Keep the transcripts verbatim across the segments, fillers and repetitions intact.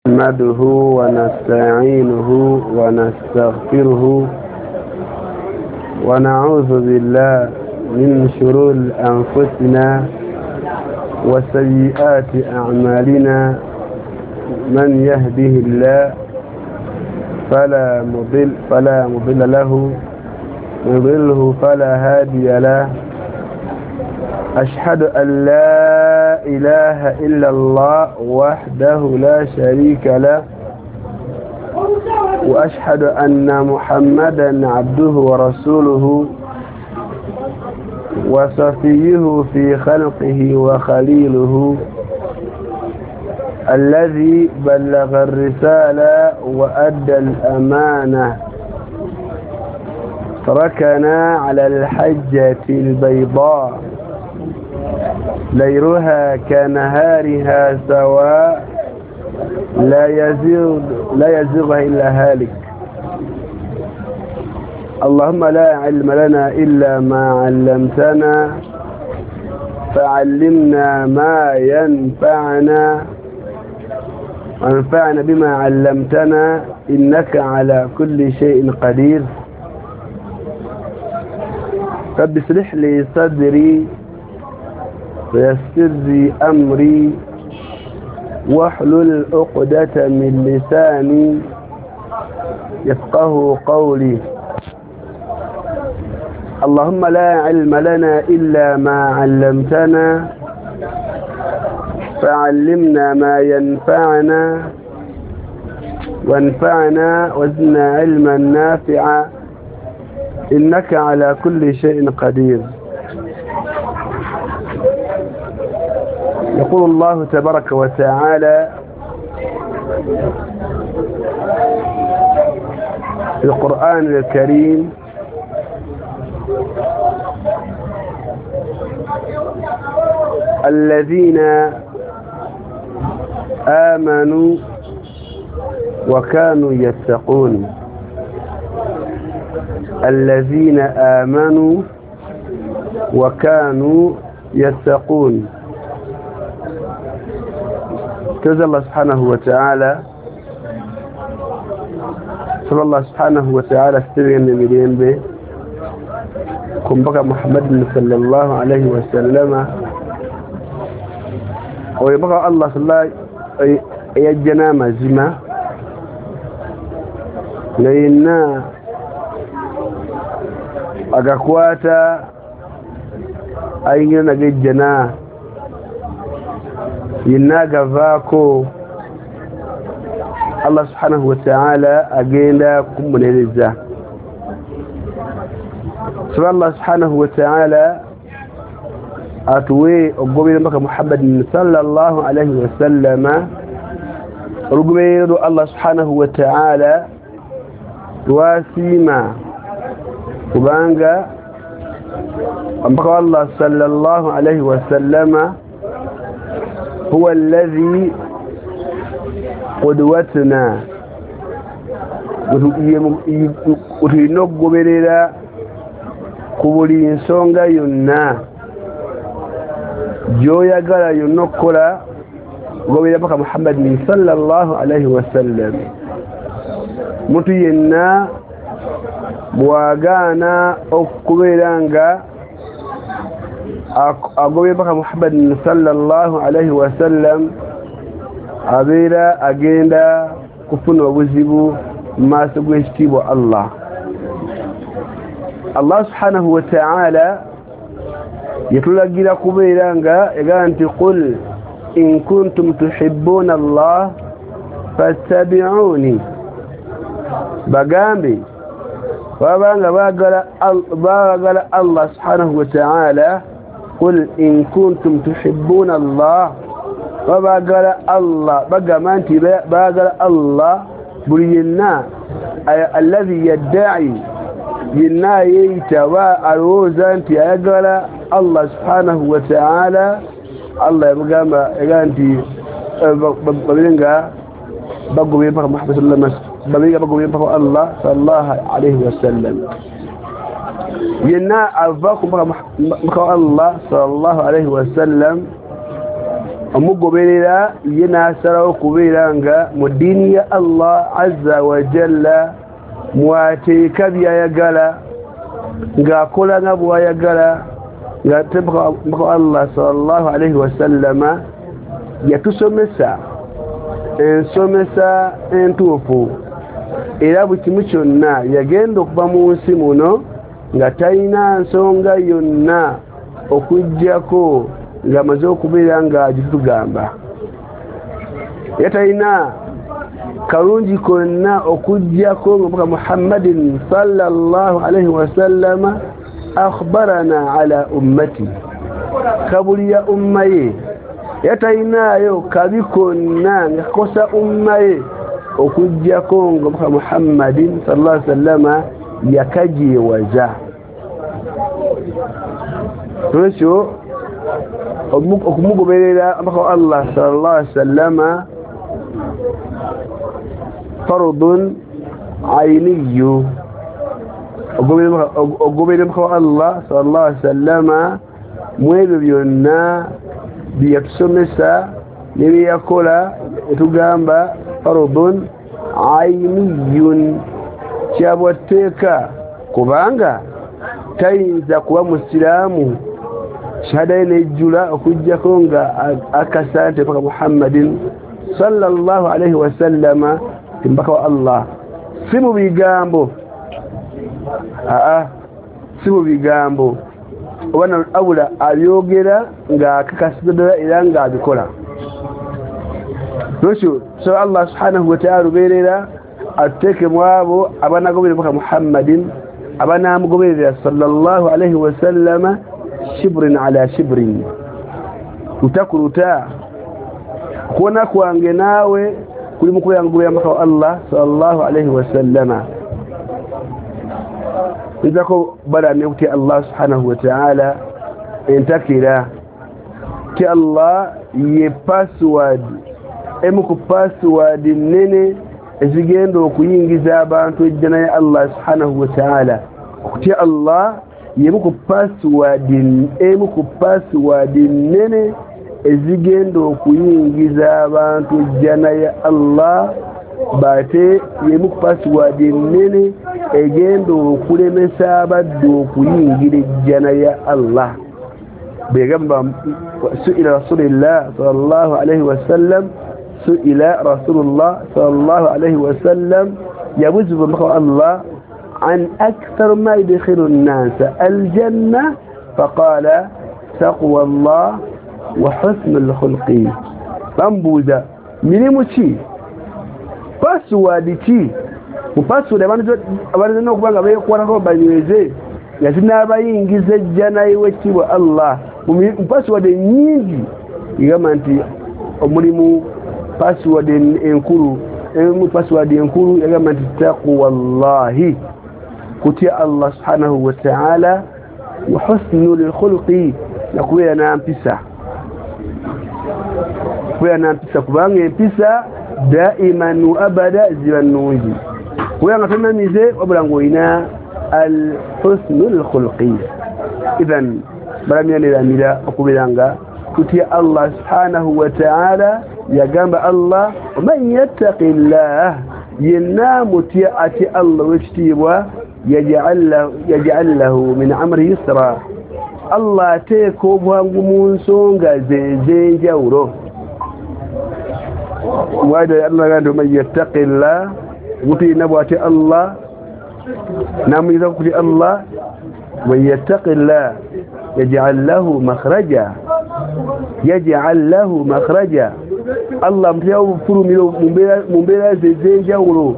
نحمده ونستعينه ونستغفره ونعوذ بالله من شرور أنفسنا وسيئات أعمالنا. من يهده الله فلا مضل فلا مضل له، يضله فلا هادي له. أشهد أن لا إله إلا الله وحده لا شريك له، وأشهد أن محمدا عبده ورسوله وصفيه في خلقه وخليله، الذي بلغ الرسالة وأدى الأمانة، تركنا على الحجة البيضاء ليلها كنهارها سواء، لا يزيغ لا يزيغها إلا هالك. اللهم لا علم لنا إلا ما علمتنا، فعلمنا ما ينفعنا وانفعنا بما علمتنا، إنك على كل شيء قدير. رب اشرح لي صدري ويسر لي أمري واحلل عقدة من لساني يفقه قولي. اللهم لا علم لنا إلا ما علمتنا، فعلمنا ما ينفعنا وانفعنا وزدنا علما نافعا، إنك على كل شيء قدير. يقول الله تبارك وتعالى في القرآن الكريم: الذين آمنوا وكانوا يتقون. الذين آمنوا وكانوا يتقون. تزال الله سبحانه وتعالى صلى الله سبحانه وتعالى استبين مليون به كم بقى محمد صلى الله عليه وسلم، ويبقى الله صلى الله يجنا مزما لأن agakwata ayingira nagejjana yenna agavaako. Allah subhanahu wa ta'ala agenda kumunereza. Saba Allah subhanahu wa ta'ala atuwe okugoberera mpaka Muhammad sallallahu alaihi wasallama, olugoberero Allah subhanahu wa ta'ala lwasiima, kubanga mpaka Allah sallallahu alaihi wasallama huwa alladhi qudwatuna, tulina okugoberera ku buli nsonga yonna gy'oyagala yonna okukola, goberera mpaka Muhammad sallallahu alaihi wasallam. Muntu yenna bw'agaana okubeera nga agoberera mpaka Muhammad sallallahu alaihi wasallam, abeera agenda kufuna obuzibu mu maaso g'ekitiibwa Allah. Allah subhanahu wa ta'ala yatulagira kubeera nga egamba nti qul in kuntum tuhibbuna Allah fattabi'uni, bagambe babanga baagala baagala Allah subhanahu wa ta'ala. Qul in kuntum tuhibbuna Allah, baagala Allah, bagamba nti baagala Allah. Buli yenna alladhi yadda'i, yenna yeeyita oba alowooza nti ayagala Allah subhanahu wa ta'ala, Allah yamugamba egamba nti babire nga bagoberera mpaka Muhammad sallallahu alaihi wasallam, babire nga bagoberera mpaka Allah sallallahu alaihi wasallam. Yenna ava ku mpaka Allah sallallahu alaihi wasallam Omugoberera ye n'asalawo okubeera nga mu ddiini ya Allah azza wa jalla mwateeka byayagala, ng'akola nga bw'ayagala, nga mpaka Allah sallallahu alaihi wasallama yatusomesa ensomesa entuufu. Era buli kimu kyonna yagenda okuva mu nsi muno nga talina nsonga yonna okuggyako ng'amaze okubeera ng'agitugamba. Era talina kalungi konna okuggyako nga mpaka Muhammadin sallallahu alaihi wasallama akhbarana ala ummati, kabuliya umma ye. Era talinaayo kabi konna nga kakosa umma ye okuggyako nga mpaka Muhammadin sallallahu alaihi wasallama yakagyewaza. Olwekyo okumugoberera mpaka Allah sallallahu alaihi wasallama fardun ayniyu, ogoberera mpaka Allah sallallahu alaihi wasallama mu ebyo byonna byeyatusomesa ne byeyakola, etugamba fardun ayniyun, kyabwatteeka, kubanga tayinza kuba musiraamu shahada ye nejjula okuggyako nga akasa nti mpaka Muhammadin sallallahu alaihi wasallama ti mpaka wa Allah. Si mu bigambo, aa si mu bigambo oba abula abyogera ng'akakasiza ddala era ng'abikola. Lwekyo tusaba Allah subhanahu wa ta'ala lubeerera atuteeke mu abo abanagoberera mpaka Muhammadin, abanaamugoberera sallallahu alaihi wasallama shibrin ala shibrin, luta ku luta. Okuwona kwange naawe kuli mu kubeera ngoberera mpaka wa Allah sallallahu alaihi wasallama. Nzako balamye okutya Allah subhanahu wa ta'ala entakira ti Allah ye password, emu ku password nnene ezigenda okuyingiza abantu ejjana ya Allah subhanahu wa ta'ala. Okutya Allah yemu ku password, emu ku password nnene ezigenda okuyingiza abantu ejjana ya Allah, bate yemu ku password nnene egenda okulemesa abaddu okuyingira ejjana ya Allah. Bwegamba su'ila Rasulillah sallallahu alaihi wasallam, su'ila Rasulullah sallallahu alaihi wasallam, yabuuzibwa omubaka wa Allah an akthar ma yudkhilu nnasa aljanna, faqala taqwa Allah wa husnul khulqi. Bambuuza mirimu ki, password ki, mu password abantu abalina okuba nga beekwatako banyweze nga zinaabayingiza ejjana y'ekitiibwa Allah. Mu password ennyingi egamba nti omulimu password enkulu, emu password enkulu yagamba nti taqwallahi, kutya Allah subhanahu wa ta'ala, wa husnul khulqi, nakubeera n'empisa, kubeera n'empisa, kubanga empisa daiman wa abada ziba nnungi, kubeera nga tonamize wabula ng'olina al husnul khulqi. Idhan balamya okubeera nga tutya Allah subhanahu wa ta'ala. Yagamba Allah man yattaqillah, yenna mutya atya Allah w'ekitiibwa, yaj'al lahu min amri yusra, Allah ateeka obwangu mu nsonga ze ez'enjawulo. Wada Allah gamba man yattaqillah, omuntu yenna bw'atya Allah n'amuyinza kutya Allah, man yattaqillah yaj'al lahu makhraja, yaj'al lahu makhraja, Allah amuteerawo obufulumiro mu mbeera ze ez'enjawulo,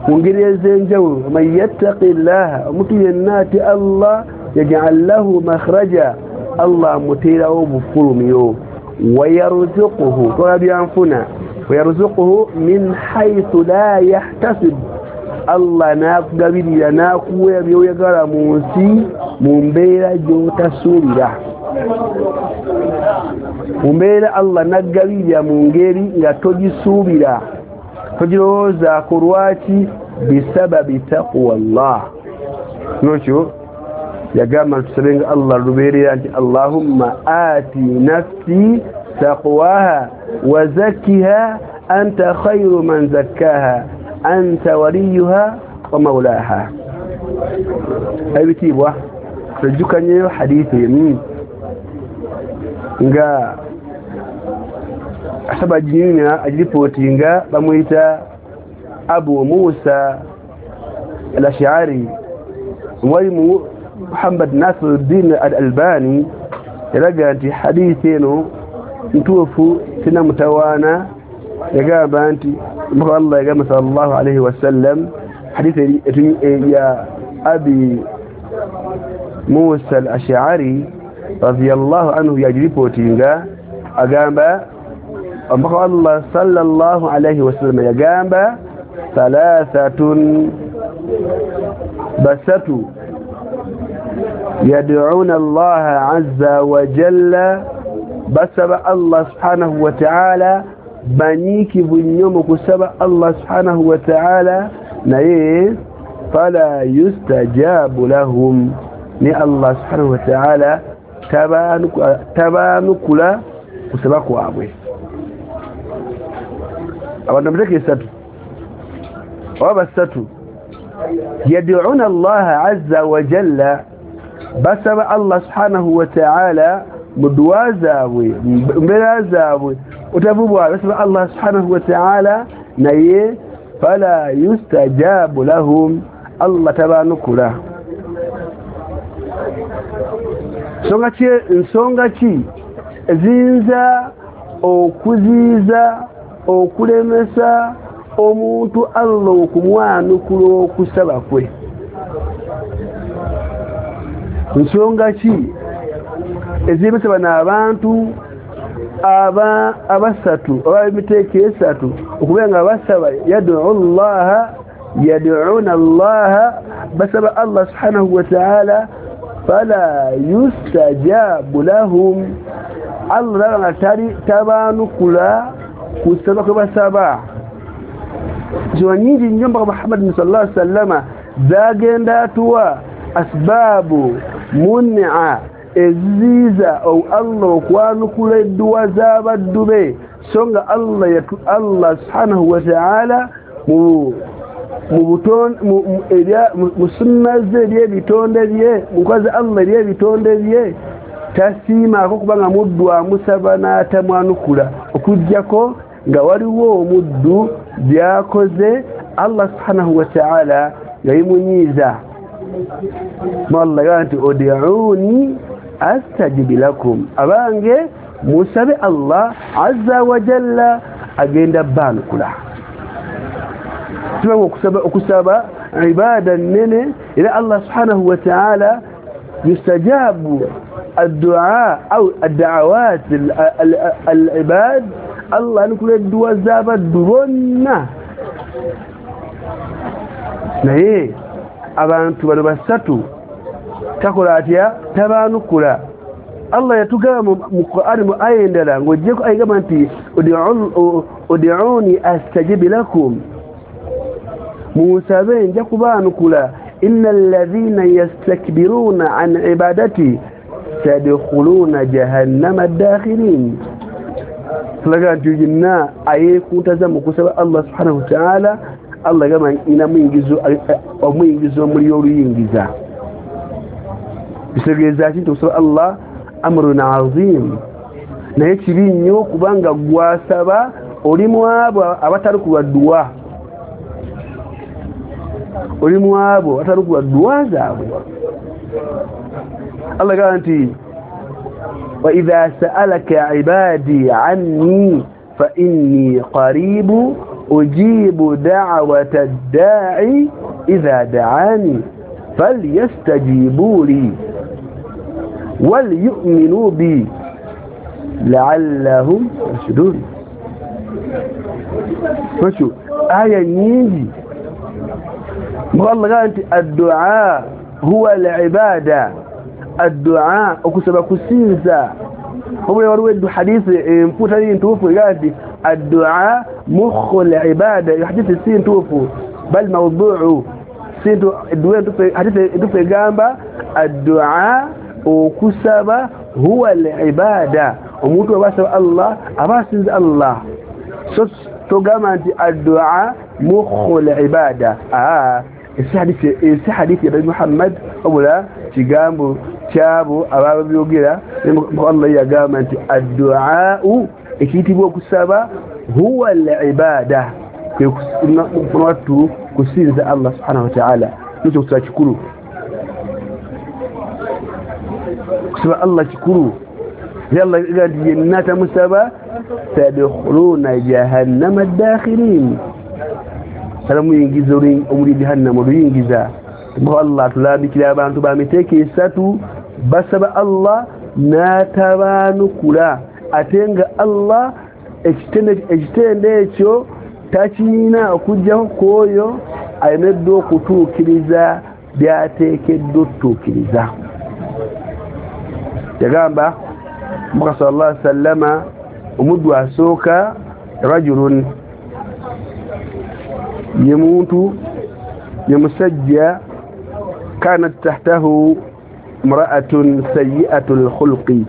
mu ngeri ez'enjawulo. Man yattaqillah, omuntu yenna atya Allah, yaj'al lahu makhraja, Allah amuteerawo obufulumiro. Wayarzuquhu, tola byanfuna, wayarzuquhu min haythu la yahtasib, Allah n'akugabirira n'akuwa by'oyagala mu nsi mu mbeera gy'otasuubira. Mu mbeera Allah n'akugabirira mu ngeri nga togisuubira, togirowoozaako. Lwaki? Bisababi taqwa Allah. Nokyo yagamba tusabenga Allah lubeerera nti Allahumma ati nafsi taqwaha wa zakkiha anta khayru man zakkaha anta waliyuha wa mawlaha. Ebitiibwa tujjukanyeyo hadithi emu nga asaba jinyumya ajiripotinga bamuyita Abu Musa al-Ash'ari mwalimu Muhammad Nasiruddin al-Albani yalaga nti hadithi eno ntuufu sina mutawaana. Yagamba nti Mtume Allah yagamba sallallahu alayhi wasallam hadithi ya Abi Musa al-Ash'ari radiyallahu anhu yajiripotinga agamba Mtume Allah sallallahu alayhi wasallam yagamba thalathatun basatu yad'una Allah azza wa jalla, basaba Allah subhanahu wa ta'ala banyikivu nnyo mu kusaba Allah subhanahu wa ta'ala, naye fala yustajabu lahum, ni Allah subhanahu wa ta'ala tabanukula kusaba kwabwe. Abantu muteke esatu oba basatu yad'una Allah azza wa jalla, basaba Allah subhanahu wa ta'ala mu duwa zaabwe mbeera zaabwe otavubwa, basaba Allah subhanahu wa ta'ala naye fala yustajabu lahum, Allah tabanukula. Nsonga ki nsonga ki eziyinza okuziiza okulemesa omuntu Allah okumwanukula okusaba kwe? Nsonga ki eziremesa bano abantu aba abasatu oba emiteeko esatu okubeera nga basaba yad'u Allaha yad'una Allaha, basaba Allah subhanahu wa ta'ala fala yustajabu lahum, Allah nga tali tabanukula kusaba kwe basaba. Nsonga nyingi nnyo Mbaka Muhammad sallallahu alaihi wasallama zagenda atuwa asbabu mun'a eziziiza Allah okwanukula edduwa z'abaddu be, so nga Allah yatu Allah subhanahu wa ta'ala mu mu mu sunna ze eby'ebitonde bye mu nkola Allah eby'ebitonde bye tasiimaako kubanga muddu amusaba n'atamwanukula, okuggyako nga waliwo omuddu by'akoze Allah subhanahu wa ta'ala yabimunyiiza. Allah yagamba nti ud'uuni astajib lakum, abange musabe Allah azza wa jalla agenda banukula. Tuba okusaba okusaba ibada nnene, era Allah subhanahu wa ta'ala yustajabu ad-du'a au ad-da'awat al-ibad, Allah anukula edduwa z'abaddu bonna. Naye abantu bano basatu takola atya? Tabanukula. Allah yatugamba mu Qur'an mu aya endala ng'oggyeko ayigamba nti ud'uuni astajib lakum, munsabe nja kubaanukula, innal ladhina yastakbiruna an ibadati sayadkhuluna jahannama dakhirin. Tulaga nti yenna ayeekuntaza mu kusaba Allah subhanahu wa ta'ala, Allah gamba ina muyingizo omuyingizo omuli oluyingiza. Bitegeeza ki nti okusaba Allah amrun azim, naye kibi nnyo kubanga gwasaba oli mu abo abatalukulwa dduwa, oli mu abo abatalukulwa dduwa zaabwe. Allah gamba nti wa idha sa'alaka ibadi anni fa inni qaribu ujibu da'wata ad-da'i idha da'ani falyastajibu li waliyu'minu bi la'allahum yarshudun. Fashu aya nyingi Allah gamba nti ad-du'a huwa al-ibada, ad-du'a okusaba kusinza. Obwe waliwo eddu hadithi empu tali ntuufu egamba nti ad-du'a mukhu al-ibada, hadithi si ntuufu bal mawdu'u, si hadithi entuufu egamba ad-du'a okusaba huwa al-ibada, Omuntu aba asaba Allah aba asinza Allah. So togamba nti addua mukhul ibada. Ah, esi hadithi esi hadithi ya Muhammad obula kigambo kyabo ababyogera Allah yagamba nti addua ekiyitibwa okusaba huwa al-ibada, kwe kusinza Allah subhanahu wa ta'ala. Nikyo kusaba kikulu, kusaba Allah kikulu. Yalla gadi yenna musaba tadkhuluna jahannama ad-dakhirin, salamu yingiza omuli jahannama oluyingiza. Allah tulabikira abantu bamiteke esatu basaba Allah n'atabaanukula, ate nga Allah ekitende ekitende ekyo takirina okujjaho kwoyo alemeddwa okutuukiriza by'ateekeddwa okutuukiriza. Yagamba Mubaka sallallahu alaihi wasallama omuddu asooka rajulun, ye muntu ye musajja kanat tahtahu imra'atun sayyi'atul khulqi.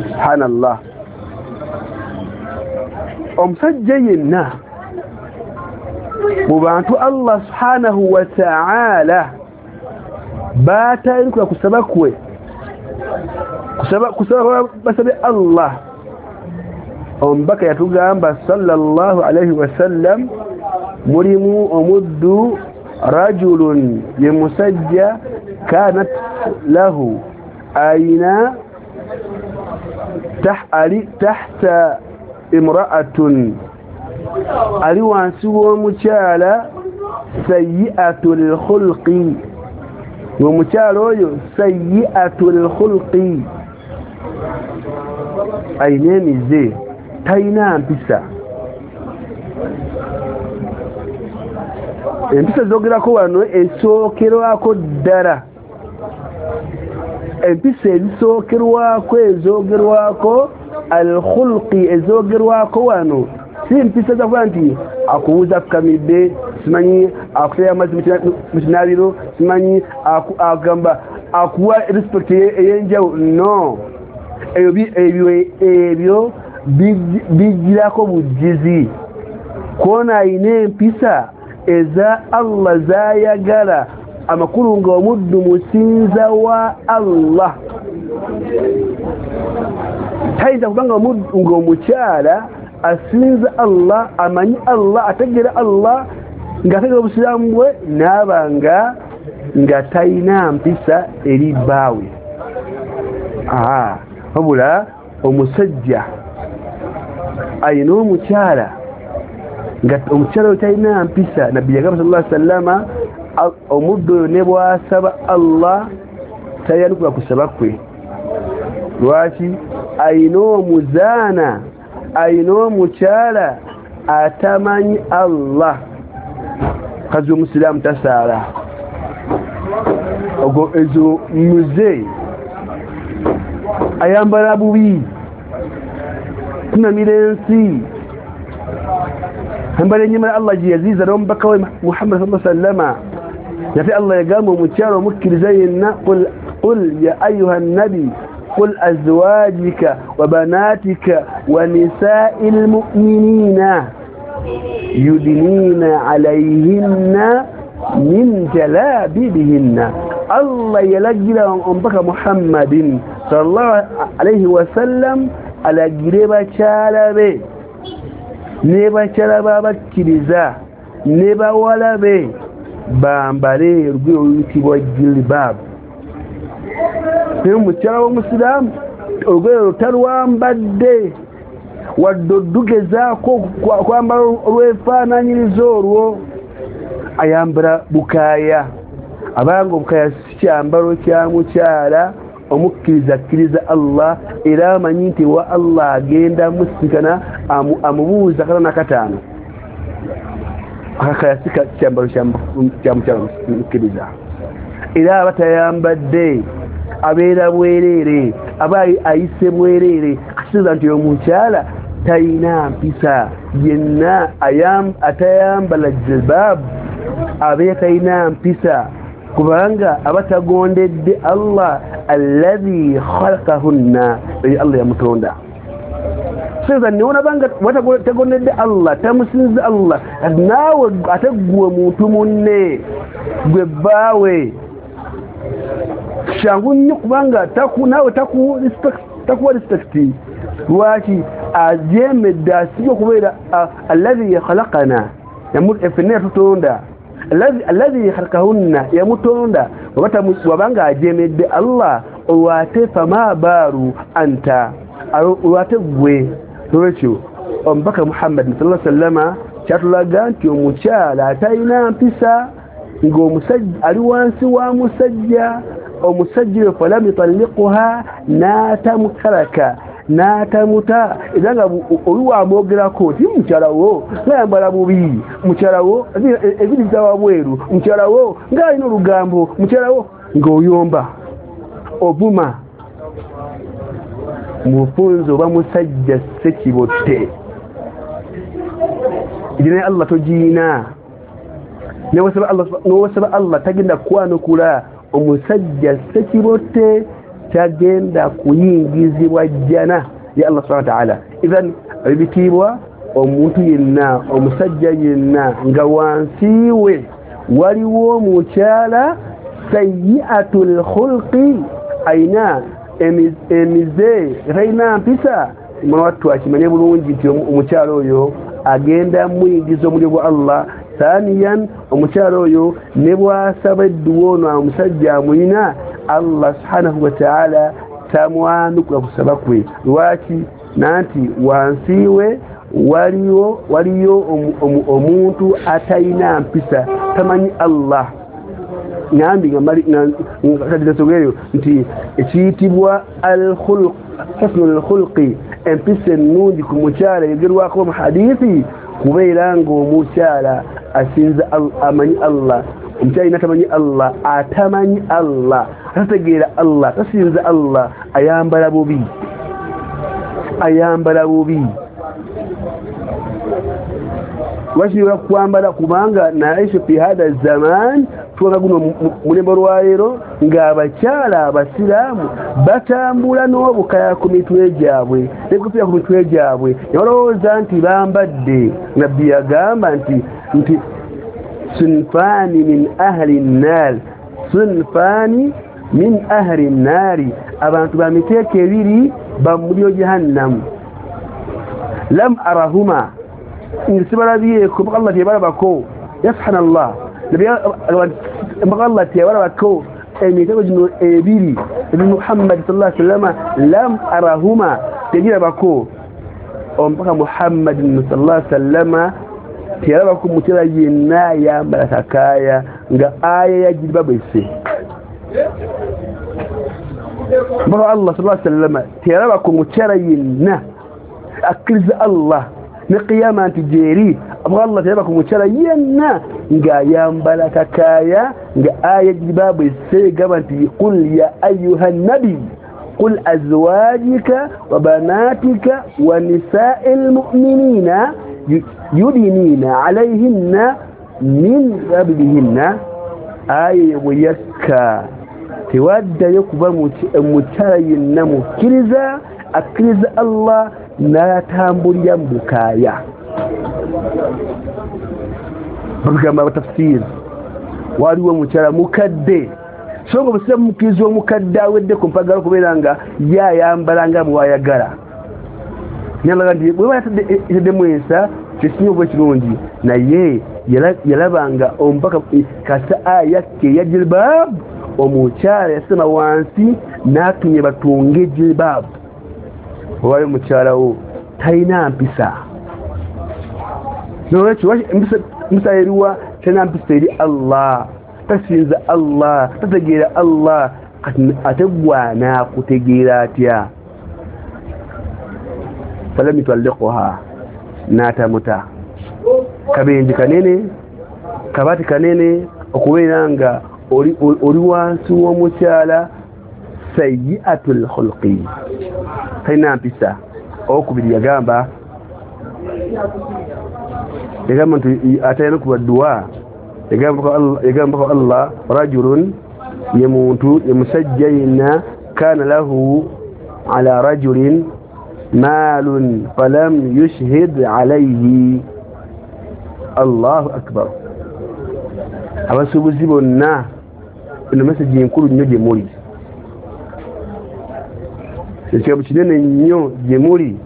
Subhanallah, omusajja yenna mu bantu Allah subhanahu wa ta'ala baatayinukula kusaba kwe, kusaba kusaba basabe Allah. Omubaka yatugamba sallallahu alayhi wasallam mulimu omuddu rajulun, ye musajja kanat lahu ayina tah ali tahta imra'atun, ali wansi w'omukyala sayyi'atul khulqi, omukyala oyo sayyi'atul khulqi ayina emize, talina mpisa. Empisa zogerako wano esookerwako ddala, empisa ezisookerwako ezogerwako al-khulqi ezogerwako wano si mpisa zakuba nti akubuuza akukamidde, simanyi akuteya amazzi mu kinaabiro, simanyi agamba akuwa respect ey'enjawulo. No, ebyo ebyo bijjirako bujjizi. Kwona ayina empisa eza Allah z'ayagala, amakulu nga omuddu musinza wa Allah. Tayinza kubanga nga omukyala asinza Allah, amanyi Allah, ategeera Allah, ng'ategeera obusiraamu bwe, n'aba nga nga talina mpisa eri bbaawe. Wabula omusajja ayina omukyala nga omukyala oyo talina mpisa, Nabbi yagamba sallallahu alaihi wasallama omuddu oyo ne bw'asaba Allah tayanukula kusaba kwe. Lwaki? Ayina omuzaana, ayina omukyala atamanyi Allah. Kazi omusiraamu tasaala, ogwo ezo muze ayambala bubi, kunamira ensi, ambala ennyama Allah gye yaziiza n'omubaka we Muhammad sallallahu alaihi wasallama. Yate Allah yagamba omukyala omukkiriza yenna qul qul ya ayuha nabi qul azwajika wa banatika wa nisa'il mu'minina yudnina alayhinna min jalabibihinna. Allah yalagira omubaka Muhammadin sallallahu alayhi wasallam alagire bakyala be ne bakyala b'abakkiriza ne bawala be bambale olugoye oluyitibwa jilbaab. Naye omukyala w'omusiraamu olugoye olwo talwambadde wadde oddugezaako kwambala olwefaananyiriza olwo, ayambala bukaaya. Abanga obukaaya si kyambalo kya mukyala omukkiriza akkiriza Allah, era amanyi nti wa Allah agenda musinkana amubuuza kataano nakataano. Akakaaya si kyambalo kya mukyala omukkiriza, era aba tayambadde, abeera bwereere, aba ayise bwereere. Kitegeeza nti omukyala talina mpisa yenna atayambala jilbaab abeera talina mpisa. Kubanga abatagondedde Allah alladhi khalaqahunna, Allah yamutonda. Sasa niona banga watagondedde Allah, tamusinza Allah, naawe ate gwe muntu munne gwe bbaawe kyangu nnyo kubanga taku naawe taku respect, takuwa respect. Lwaki ajemedde asibye okubeera alladhi khalaqana, ffenna yatutonda, alladhi khalaqahunna yamutonda. Wabanga ajemedde Allah olwate fama baaru anta, olwate gwe. Nolwekyo omubaka Muhammad sallallahu alaihi wasallam kyatulaga nti omukyala atalina mpisa ng'omusajja ali wansi wa musajja, omusajja falam yutalliquha n'atamutalaka n'atamuta, era nga oli wamwogerako ti mukyala wo ng'ayambala bubi, mukyala wo ebiri bitawa bweru, mukyala wo ng'alina olugambo, mukyala wo ng'oyomba ovuma. Mufunzo oba musajja ssekibotte, edina Allah togiina. Newasaba Allah tagenda kwanukula omusajja ssekibotte, tagenda kuyingizibwa jjana ya Allah subhanahu wa ta'ala. Idhan ebitiibwa omuntu yenna omusajja yenna nga wansi we waliwo omukyala sayyi'atul khulqi, ayina emize talina mpisa, mwana wattu akimanye bulungi nti omukyala oyo agenda muyingiza omuliro gwa Allah. Thaniyan, omukyala oyo ne bw'asaba edduwa ono omusajja amuyina, Allah subhanahu wa ta'ala tamwanukula kusaba kwe. Lwaki? Nanti wansi we waliwo waliyo omuntu atalina mpisa, tamanyi Allah. Ngambi nga nti ekiyitibwa al-khuluq, husnul khulqi, empisa ennungi ku mukyala eyogerwako mu hadithi, kubeera ng'omukyala asinza amanyi Allah. Omukyala yenna tamanyi Allah, atamanyi Allah, atategeera Allah, tasinza Allah, ayambala bubi, ayambala bubi. Lwaki kwambala? Kubanga naishu fi hadha zaman, tuwanga guno mulembe olwaleero ng'abakyala abasiraamu batambula n'obukaya ku mitwe gyabwe n'enkofiira ku mitwe gyabwe, ne balowooza nti bambadde. Nabbi yagamba nti nti sunfani min ahli nnaar, sunfani min ahli nnaari, abantu ba miteeko ebiri ba muliro jahannamu. Lam arahuma, nsibalabyeko mpaka Allah teyabalabako. Ya subhanallah, mpaka Allah teyabalabako emitego gino ebiri ebi Muhammad sallallahu alaihi wasallam, lam arahuma, tegirabako mpaka Muhammad sallallahu alaihi wasallam teyalabako mukyala yenna ayambala kakaaya nga aya ya jilbaabu esse. Mpaka Allah sallallahu alaihi wasallam teyalabako mukyala yenna akkiriza Allah ne qiyama nti gyeri, mpaka Allah teyalabako mukyala yenna ng'ayambala kakaaya nga aya jilbaabu esse egamba nti qul ya ayuha nabi qul azwajika wa banatika wa nisa'il mu'minina yudinina alayhinna min rabihinna. Aya bwe yakka tewaddayo kuba mukyala yenna mukkiriza akkiriza Allah n'atambulira mu bukaaya. Bagamba abatafsiiri waliwo omukyala mukadde, so nga obusiraamu mukkiriza omukadde awedde ku mpagala okubeera nga ye ayambala nga bw'ayagala. Nalaga nti bw'eba yataddemu ensa kyekisinga okuba ekirungi, naye yalabanga omubaka kasa aya ke eya jilbaabu, omukyala yasema wansi n'atumye batunge jilbaabu. Owayo omukyala wo talina mpisa. Nolwekyo mpisa eriwa? Talina mpisa eri Allah, tasinza Allah, tategeera Allah. Kati ate gwe anaakutegeera atya? Falam yutalliquha, n'atamuta. Kabenje kanene, kabati kanene okubeera nga oli oli wansi w'omukyala sayyi'atul khulqi, talina mpisa. Owokubiri yagamba yagamba nti atalina kuba dduwa Yagamba Allah rajulun, ye muntu, ye musajja yenna, kana lahu ala rajulin malun falam yushhid alayhi. Allahu akbar. Abasuubuzi bonna, eno message enkulu nnyo gye muli, ekigambo kinene nnyo gye muli.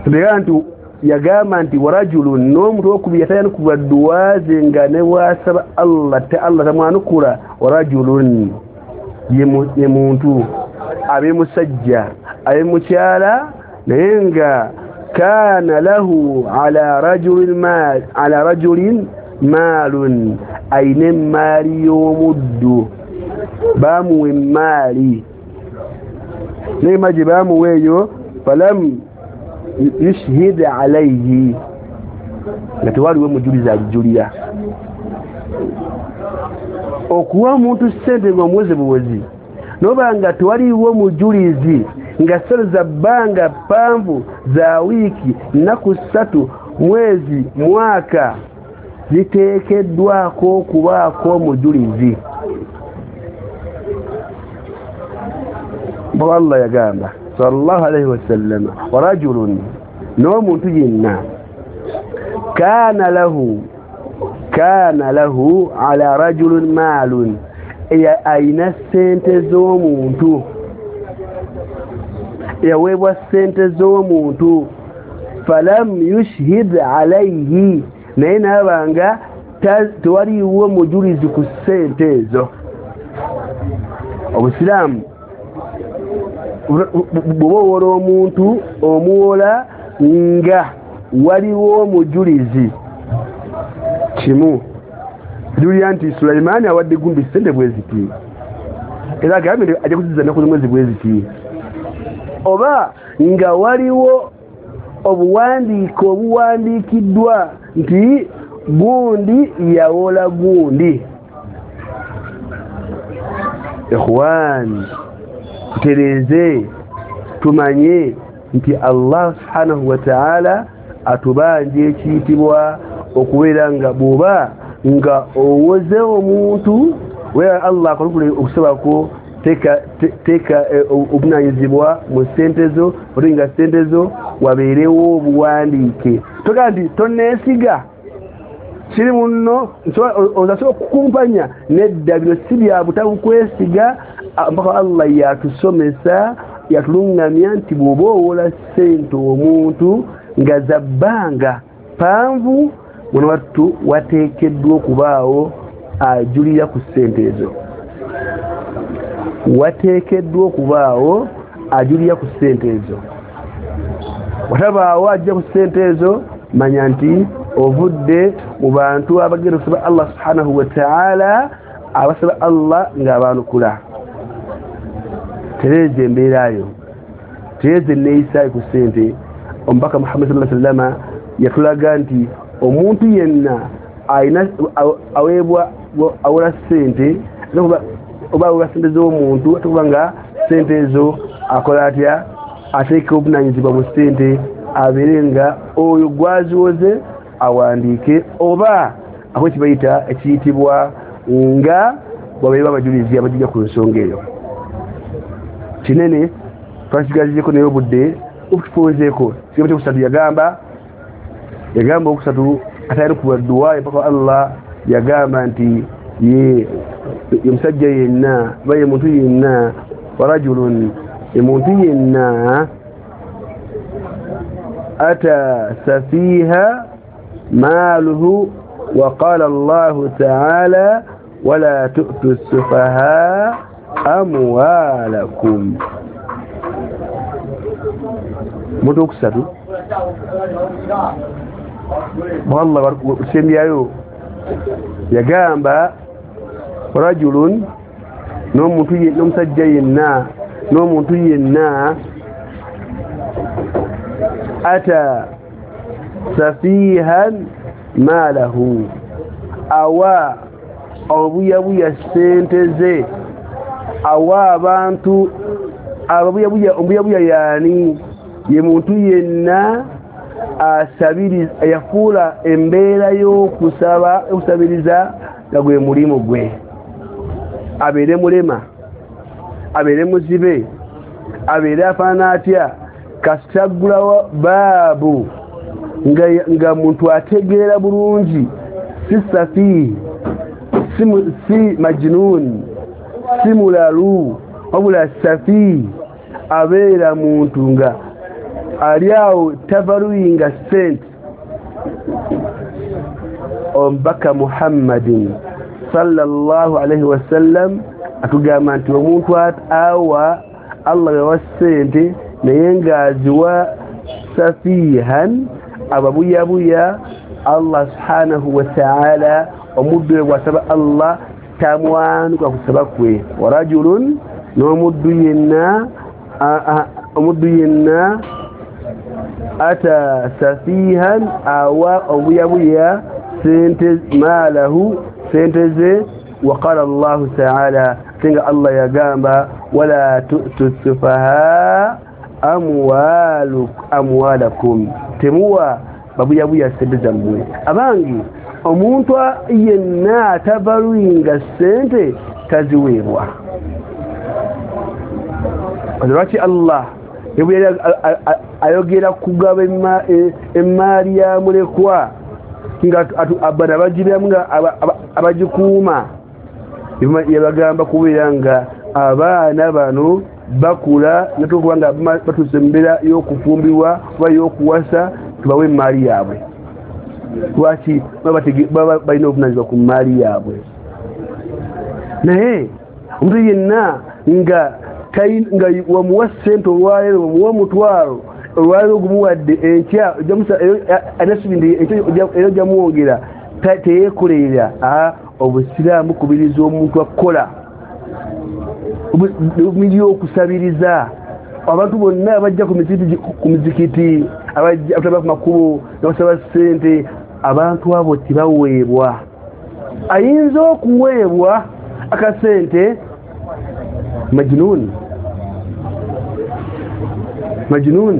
Tubeera nti yagamba nti warajulun, n'omuntu owokubiri yatayanukula dduwa ze nga ne bw'asaba Allah te Allah tamwanukula. Warajulun ye muntu, abe musajja abe mukyala, naye nga kana lahu ala rajulin mal, ala rajulin maalun, ayina emmaali y'omuddu, baamuwa emmaali, naye emmaali gye baamuwa eyo falam yushhid alayhi, nga tewaliwo mujulizi ajulira. Okuwa omuntu ssente ng'omuweze buwezi, noba nga tewaliwo mujulizi, nga ssente za bbanga ppanvu za wiiki, nnaku ssatu, mwezi, mwaka, ziteekeddwako okubaako omujulizi. Allah yagamba sallallahu alayhi wasallam, warajulun, n'omuntu yenna, kana lahu kana lahu ala rajulun maalun, ayina ssente z'omuntu, yaweebwa ssente z'omuntu, falam yushhid alayhi, naye naaba nga tewaliwo mujulizi ku ssente ezo. Obusiraamu bw'oba owola omuntu, omuwola nga waliwo omujulizi. Kimu julira nti Sulaimaani awadde gundi ssente bwe ziti, era agambye nti ajja kuzizza nnaku z'omwezi bwe ziti, oba nga waliwo obuwandiike obuwandiikiddwa nti gundi yawola gundi. Ikhwan, tutereeze, tumanye nti Allah subhanahu wa ta'ala atubanja ekiyitibwa okubeera nga bw'oba nga owoze omuntu, wera Allah akolukule okusabako, teeka teeka obuvunaanyizibwa mu ssente zo, ate nga ssente zo wabeerewo obuwandiike. Togaa nti tonneesiga kiri munno, ozasobola okukumpanya nedda, bino si bya butabukwesiga. Mpaka Allah yatusomesa, yatuluŋŋamya nti bw'oba owola ssente omuntu nga za bbanga ppanvu, muno wattu wateekeddwa okubaawo ajulira ku ssente ezo, wateekeddwa okubaawo ajulira ku ssente ezo. Watabaawo ajja ku ssente ezo, manya nti ovudde mu bantu abagenda okusaba Allah subhanahu wa ta'ala, abasaba Allah ng'abaanukula. Tereeza embeerayo, tereeza enneeyisaayo ku ssente. Omubaka Muhammad sallallahu alaihi wasallam yatulaga nti omuntu yenna ayina aweebwa awola ssente, oba awola ssente z'omuntu, ate kuba nga ssente ezo akola atya, ateeka obuvunaanyizibwa mu ssente, abeere nga oyo gwaziwoze awandiike, oba ako kibayita ekiyitibwa nga wabeerewo abajulizi abajulira ku nsonga eyo. Kinene twakisigazizeko naye obudde obutufunzeeko. Kigambo kyokusatu yagamba, yagamba okusatu atayanukula dduwa mpaka Allah yagamba nti ye ye musajja yenna oba ye muntu yenna, warajulun, ye muntu yenna ata safiha maaluhu, wa qala Allahu ta'ala wala tu'tu sufaha amwalakum. Muntu okusatu Allah sembyayo yagamba rajulun, n'omuntu n'omusajja yenna, n'omuntu yenna ata safihan maalahu, awa obuyabuya ssente ze, awa abantu ababuyabuya. Omubuyabuya yaani ye muntu yenna asabiriza yafuula embeera y'okusaba okusabiriza nga gwe mulimu gwe abeere mulema abeere muzibe abeere afaanana atya kasitaggulawo baabu nga, nga muntu ategeera bulungi si safihi si, si majnun si mulalu wabula safihi abeera muntu nga ali awo tavaluyinga sente omubaka Muhammadin sallallahu alaihi wasallam atugamba nti omuntu awa Allah yawa sente naye ng'aziwa safihan ababuyabuya Allah subhanahu wa ta'ala omuddu we bw'asaba Allah tamwanuka kusaba kwe wa rajulun n'omuddu yenna omuddu yenna ata safihan awa obuyabuya sente maalahu sente ze وقال الله تعالى تنga Allah yagamba wala tu'tu sufaha amwaluk amwalakum temuwa babuyabuya sente zammwe abangi omuntu yenna atabaluyinga sente taziweebwa lwaki Allah ayogera kugaba emmaali ya mulekwa nga abana bagibiramu nga abagikuuma yabagamba kubeera nga abaana bano bakula natukuba nga batuuse mu mbeera y'okufumbirwa oba y'okuwasa tubawe emmaali yaabwe lwaki baba balina obuvunaanyizibwa ku mmaali yaabwe naye omuntu yenna nga nga wamuwa ssente olwaleero wamuwa omutwalo olwaleero ogumuwadde enkya era ojja muwongera teyeekolerera obusiraamu bukubiriza omuntu akukola bumiri okusabiriza abantu bonna abajja ku mizikiti abajja ku makubo nabasaba ssente abantu abo tebaweebwa ayinza okuweebwa akasente majnun majnun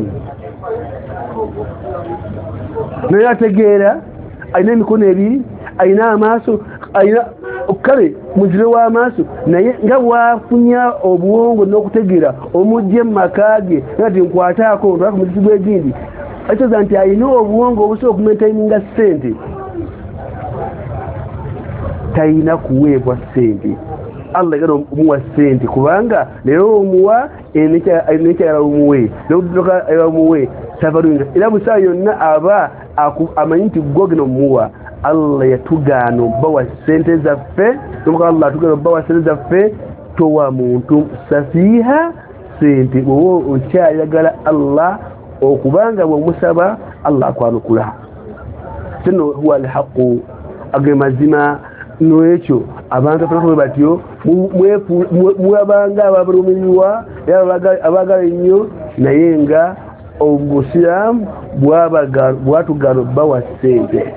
naye ategeera alina emikono ebiri alina amaaso alina kale muzibe w'amaaso naye nga bwafunya obwongo n'okutegeera omujje mu maka ge nga ti nkwataako ntwala ku muziki gw'egindi ekitegeeza nti alina obwongo obusobola okumaintaininga ssente talina kuweebwa ssente Allah yagala omuwa ssente kubanga leero omuwa nekyayagala omuwe ayagala omuwe tavaluyinga era busaa yonna aba amanyi nti gwe ogenda omuwa Allah yatugaana obbawa ssente zaffe nomuka Allah atugaana obbawa ssente zaffe towa muntu safiha ssente bw'oba okyayagala Allah okubanga bw'omusaba Allah akwanukula sino huwa alhaqu age mazima n'ekyo abantu afanako batyo mwabanga abalumirirwa era abaagala ennyo naye nga obusiraamu bwatugaana obbawa ssente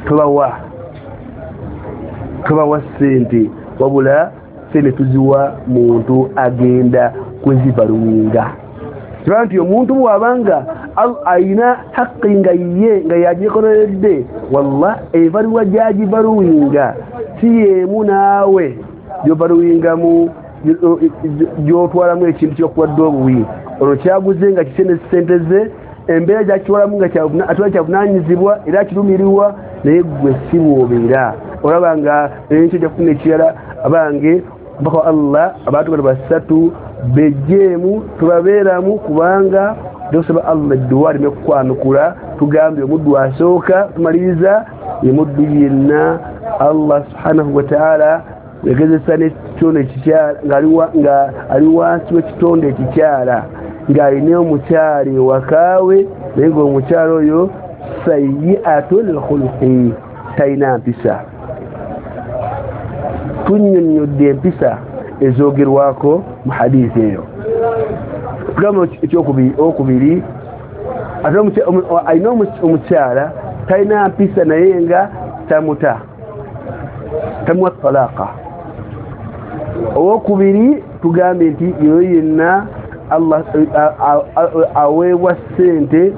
tubawa tubawa ssente wabula ssente tuziwa muntu agenda kuzibaluwinga kiba nti omuntu bw'abanga alina haqqi nga ye nga yagyekoleredde wallah ebaluwa gy'agibaluwinga si y'emu naawe gy'obaluwingamu gy'otwalamu ekintu kyokuwadde obuwi olwo kyaguze nga kisene ssente ze embeera gyakitwalamu nga atwala kyavunaanyizibwa era akirumirirwa naye gwe si bw'obeera olaba nga enkyo ojja kufuna ekirala abange mpaka Allah abantu bano basatu bejjeemu tubabeeramu kubanga tusaba Allah edduwa aleme kukwanukula tugambye omuddu asooka tumaliriza ye muddu yenna Allah subhanahu wa ta'ala yagezesa n'ekitonde ekikyala nga ali wansi w'ekitonde ekikyala ng'alina omukyala ewakaawe naye ng'omukyala oyo sayyi'atul khuluqi talina mpisa tunnyonnyodde empisa ezoogerwako mu hadithi eyo tugamba ekyokubiri ate alina omukyala talina mpisa naye nga tamuta tamuwa talaka owokubiri tugambye nti yoyo yenna Allah aweebwa ssente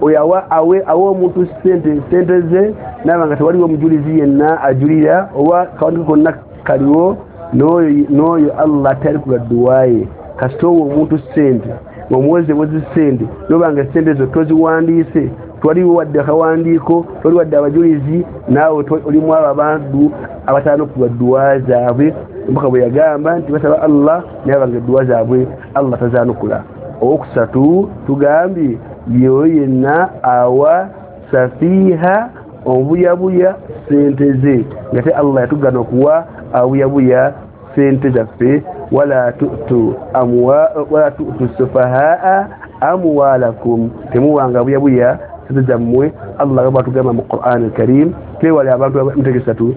oyo awe awa omuntu ssente ssente ze naaba nga tewaliwo omujulizi yenna ajulira oba kawandiiko konna kaliwo n'oyo n'oyo Allah tayanukula dduwa ye. Kasita owa omuntu ssente ng'omuweze bwezi ssente noba nga ssente zo toziwandiise twaliwo wadde akawandiiko twali wadde abajulizi naawe olimu abo abantu abatayanukula dduwa zaabwe mpaka bwe yagamba nti basaba Allah naye abanga edduwa zaabwe Allah tazaanukula. Owokusatu tugambye yoyo yenna awa safiiha obuyabuya ssente ze ngate Allah yatugana okuwa abuyabuya ssente zaffe wala tu'tu amwa wala tu'tu sufahaa amwalakum temuwanga buyabuya ssente zammwe. Allah batugamba mu Qur'an al-Karim twewale abantu mutegesatu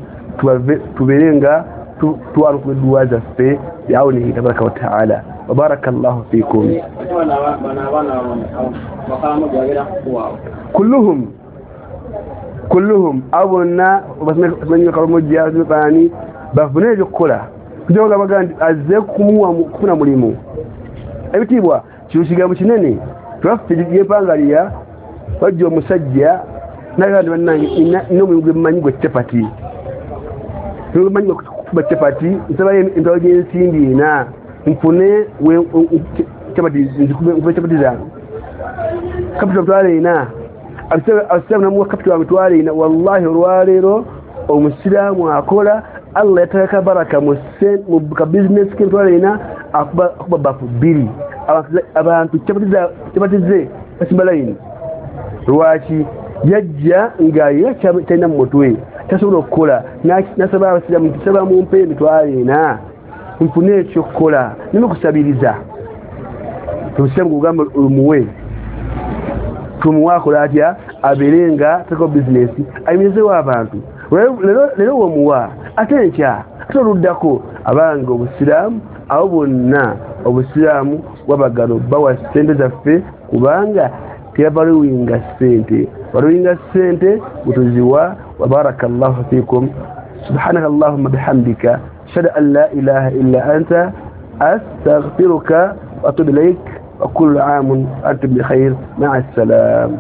tubeere nga twanukula edduwa zaffe biawunihi tabaraka wa taala. Wa barakallahu fikum. Kulluhum kulluhum abo bonna bamanyi Karamojja baani bafune ebyokukola kujoga baga nti azze kumuwa kufuna mulimu ebitiibwa kino kigambo kinene twaffe gyempangaliya wajja omusajja naga nti bannange nina omulimu gwe mmanyi gwe capati mmanyi gwe kukuba capati nsabayo emitwalo gy'ensimbi ena nfune capati nzikube capati zange kapito mitwalo ena abasiraamu namuwa kapito wa mitwalo ena. Wallahi olwaleero omusiraamu akola Allah yateeka baraka mu ka bizinesi k'emitwalo ena akuba bafu bbiri abantu capati ze basimba layini. Lwaki yajja nga ye talina mu mutwe tasobola okukola nasaba abasiraamu nti saba mumpe emitwalo ena nfune ekyokukola nina okusabiriza. Omusiraamu gugamba omuwe tumuwe akola atya abeere nga ateekawo bizinesi ayimirizeewo abantu. Leero womuwa ate enkya ate oluddako abange obusiraamu abo bonna obusiraamu bwabagano bawa ssente zaffe kubanga tebaluwinga ssente baluwinga ssente butuziwa. Wa barakallahu fikum. Subhanaka allahumma bihamdika ashhadu an la ilaha illa anta astaghfiruka wa atubu ilaik wa kullu amun antum bi khair ma'a assalam.